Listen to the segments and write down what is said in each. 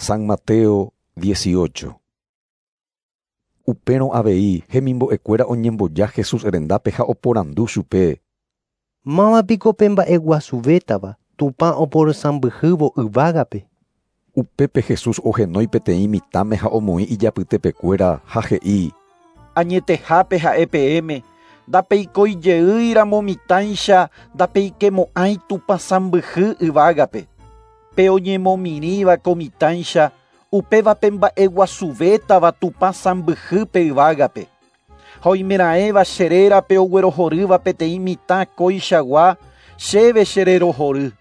San Mateo 18. Upérõ avei hemimbo'ekuéra oñemboja Jesús rendápe ha oporandu chupe. Mávapiko pe mba'eguasuvétava Tupã oporosãmbyhývo yvágape. Upépe Jesús ohenói peteĩ mitãme ha omoĩ ijapytepekuéra ha he'i: Añetehápe ha'e peẽme, ndapeikoijeýiramo mitãicha ndapeikemo'ãi Tupã sãmbyhy yvágape. Pe oñemomirĩva ko mitãicha, upévape mba'eguasuvétava Tupã sãmbyhýpe yvágape. Ha oimeraẽva che rérape oguerohorýva peteĩ mitã kóichagua, chéve chererohory.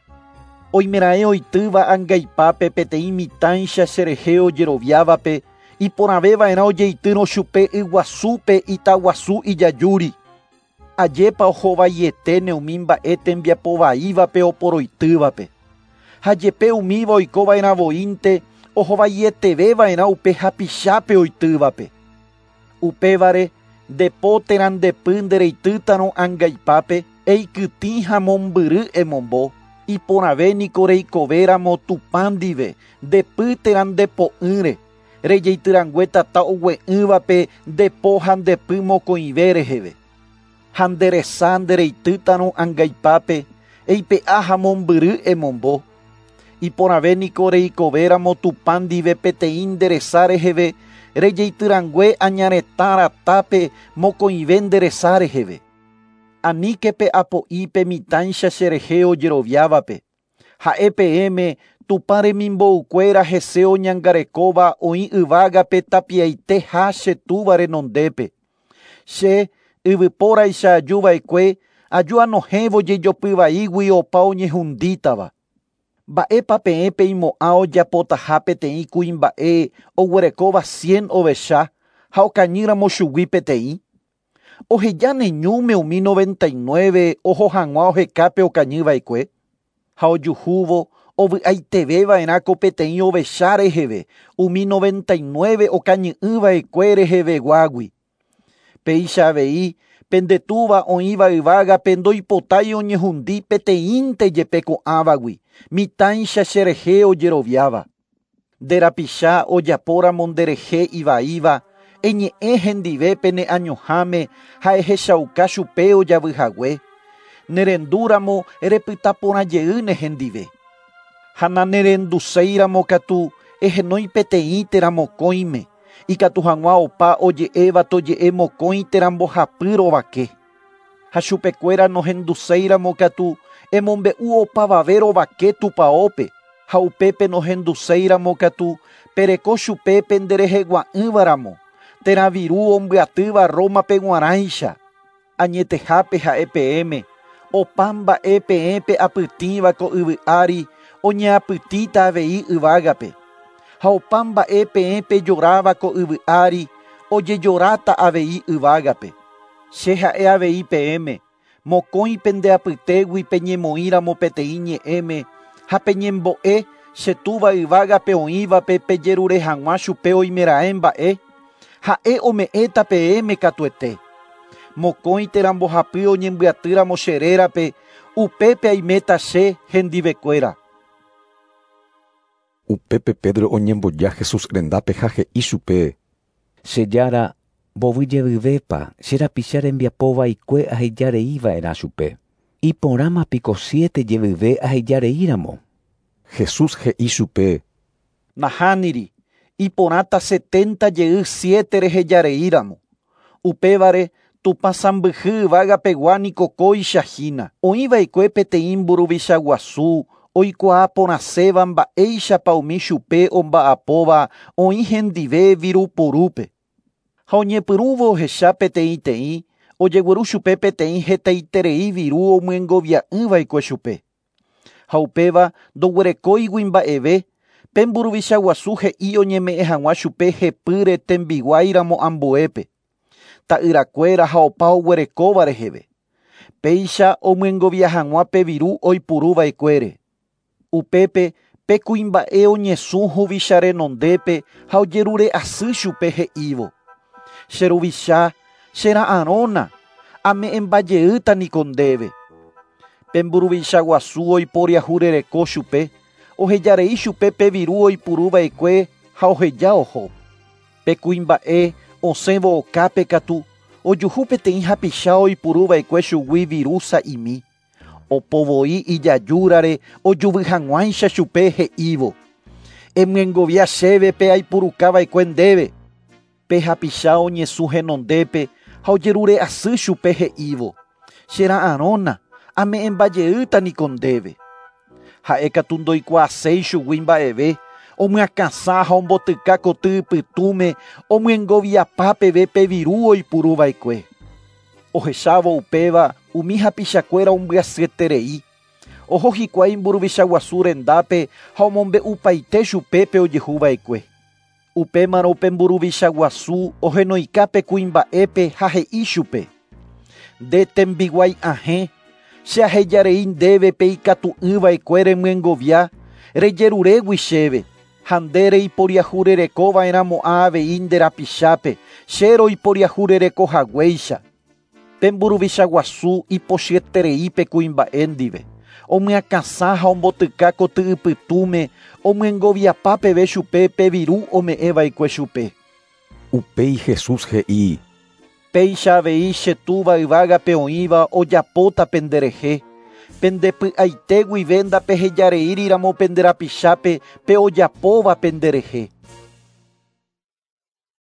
Oimeraẽ oitýva angaipápe peteĩ mitãicha cherehe ojeroviávape, iporãveva'erã ojeitýrõ chupe yguasúpe itaguasu ijajúri. Ajépa ohovaietene umi mba'e tembiapovaívape oporoitývape. Ha jepe umíva oikova'erã voínte ohovaieteveva'erã upe hapichápe oitývape. Upévare ndepo térã ndepy ndereitýtarõ angaipápe, eikytĩ ha mombyry emombo. Iporãve niko reikovéramo Tupã ndive, ndepy térã ndepo'ỹre. Rejeityrãngue tata ogue'ỹvape ndepo ha ndepy mokõive reheve. Ha nderesa ndereitýtarõ angaipápe, eipe'a ha mombyry emombo. Iporãve niko reikovéramo Tupã ndive peteĩ nderesa reheve, rejeityrãngue añaretã ratápe mokõive nderesa reheve. Aníke pe'apo'i pe mitãicha cherehe ojeroviávape. Ha'e peẽme Tupã remimboukuéra hese oñangarekóva oĩ yvágape tapiaite ha che túva renondépe. Che yvypóraicha ajuva'ekue aju anohẽvo jejopyvaígui opa oñehundítava. Mba'épa peẽ peimo'ã ojapotaha peteĩ kuimba'e oguerekóva 100 ovecha ha okañýramo chugui peteĩ? Ohejáne ñúme umi 99 oho hag̃ua ohekápe okañyva'ekue. Ha ojuhúvo ovy'aiteveva'erã ko peteĩ ovecha reheve umi 99 okañy'ỹva'ekue reheveguágui. Péicha avei pende túva oĩva yvágape ndoipotái oñehundi peteĩnte jepe ko'ãvagui, mitãicha cherehe ojeroviáva. Nde rapicha ojapóramo nderehe ivaíva, eñe'ẽ hendive pene añoháme ha ehechauka chupe ojavyhague. Nerendúramo repytaporãjeýne hendive. Ha nanerenduséiramo katu ehenói peteĩ térã mokõime, ikatu hag̃ua opa oje'éva toje'e mokõi térã mbohapy rovake. Ha chupekuéra nohenduséiramo katu emombe'u opavave rovake tupaópe, ha upépe nohenduséiramo katu pereko chupe penderehegua'ỹvaramo, térã viru ombyatýva Rómape g̃uarãicha. Añetehápe ha'e peẽme, opa mba'e peẽ pe'apytĩva ko yvy ári oñeapytĩta avei yvágape. Ha opa mba'e peẽ pejoráva ko yvy ári ojejoráta avei yvágape. Che ha'e avei peẽme, mokõi pende apytégui peñemoĩramo peteĩ ñe'ẽme ha peñembo'e che túva yvágape oĩvape pejerure hag̃ua chupe oimeraẽ mba'e, ha'e ome'ẽta peẽme katuete. Mokõi térã mbohapy oñembyatýramo che rérape, upépe aiméta che hendivekuéra. Upépe Pedro oñemboja Jesús rendápe ha he'i chupe. Che jára, mbovy jevyvépa che rapicha rembiapovaikue ahejareiva'erã chupe. Iporãma piko 7 jevyve ahejareíramo. Jesús he'i chupe. Nahániri, iporãta 70 jey 7 rehejareíramo. Upévare Tupã sãmbyhy yvágapegua niko kóicha hína. Oĩva'ekue peteĩ mburuvicha guasu oikuaa porãséva mba'éichapa umi chupe omba'apóva oĩ hendive virupurúpe. Ha oñepyrũvo ohecha peteĩteĩ, ojegueru chupe peteĩ hetaiterei viru omyengovia'ỹva'ekue chupe. Ha upéva ndoguerekóigui mba'eve, pe mburuvicha guasu he'i oñeme'ẽ hag̃ua chupe hepýre tembiguáiramo ambuépe. Ta'yrakuéra ha opa oguerekóva reheve. Péicha omyengovia hag̃ua pe viru oipuruva'ekuére. Upépe pe kuimba'e oñesũ huvicha renondépe ha ojerure asy chupe he'ívo. Che ruvicha, chera'arõna, ame'ẽmbajeýta niko ndéve. Pe mburuvicha guasu oiporiahurereko chupe, Ohejarei chupe pe viru oipuruva'ekue ha oheja oho. Pe kuimba'e osẽvo okápe katu ojuhu peteĩ hapicha oipuruva'ekue chugui viru sa'imi. Opovoi ijajúrare ojuvy hag̃uáicha chupe he'ívo. Emyengovia chéve pe aipurukava'ekue ndéve. Pe hapicha oñesũ henondépe ha ojerure asy chupe he'ívo. Chera'arõna ame'ẽmbajeýta niko ndéve. Ha'ékatu ndoikuaaséi chugui mba'eve, omyakãsã ha ombotyka koty ypytũme omyengoviapa peve pe viru oipuruva'ekue. Ohechávo upéva umi hapichakuéra ombyasyeterei. Oho hikuái mburuvicha guasu rendápe ha omombe'upaite chupe pe ojehuva'ekue. Upémarõ upe mburuvicha guasu ohenoika pe kuimba'épe ha he'i chupe. Nde tembiguái ahẽ, che ahejarei ndéve pe ikatu'ỹva'ekue remyengovia, rejerurégui chéve, ha nde reiporiahurerekova'erãmo'ã avei nde rapichápe, che roiporiahurerekohaguéicha. Pe mburuvicha guasu ipochyeterei pe kuimba'e ndive. Omyakãsã ha ombotyka koty ypytũme omyengoviapa peve chupe pe viru ome'ẽva'ekue chupe. Upéi Jesús he'i: Péicha avei che túva yvágape oĩva ojapóta penderehe. Pendepy'aite guive ndapehejareíriramo pende rapichápe pe ojapóva penderehe.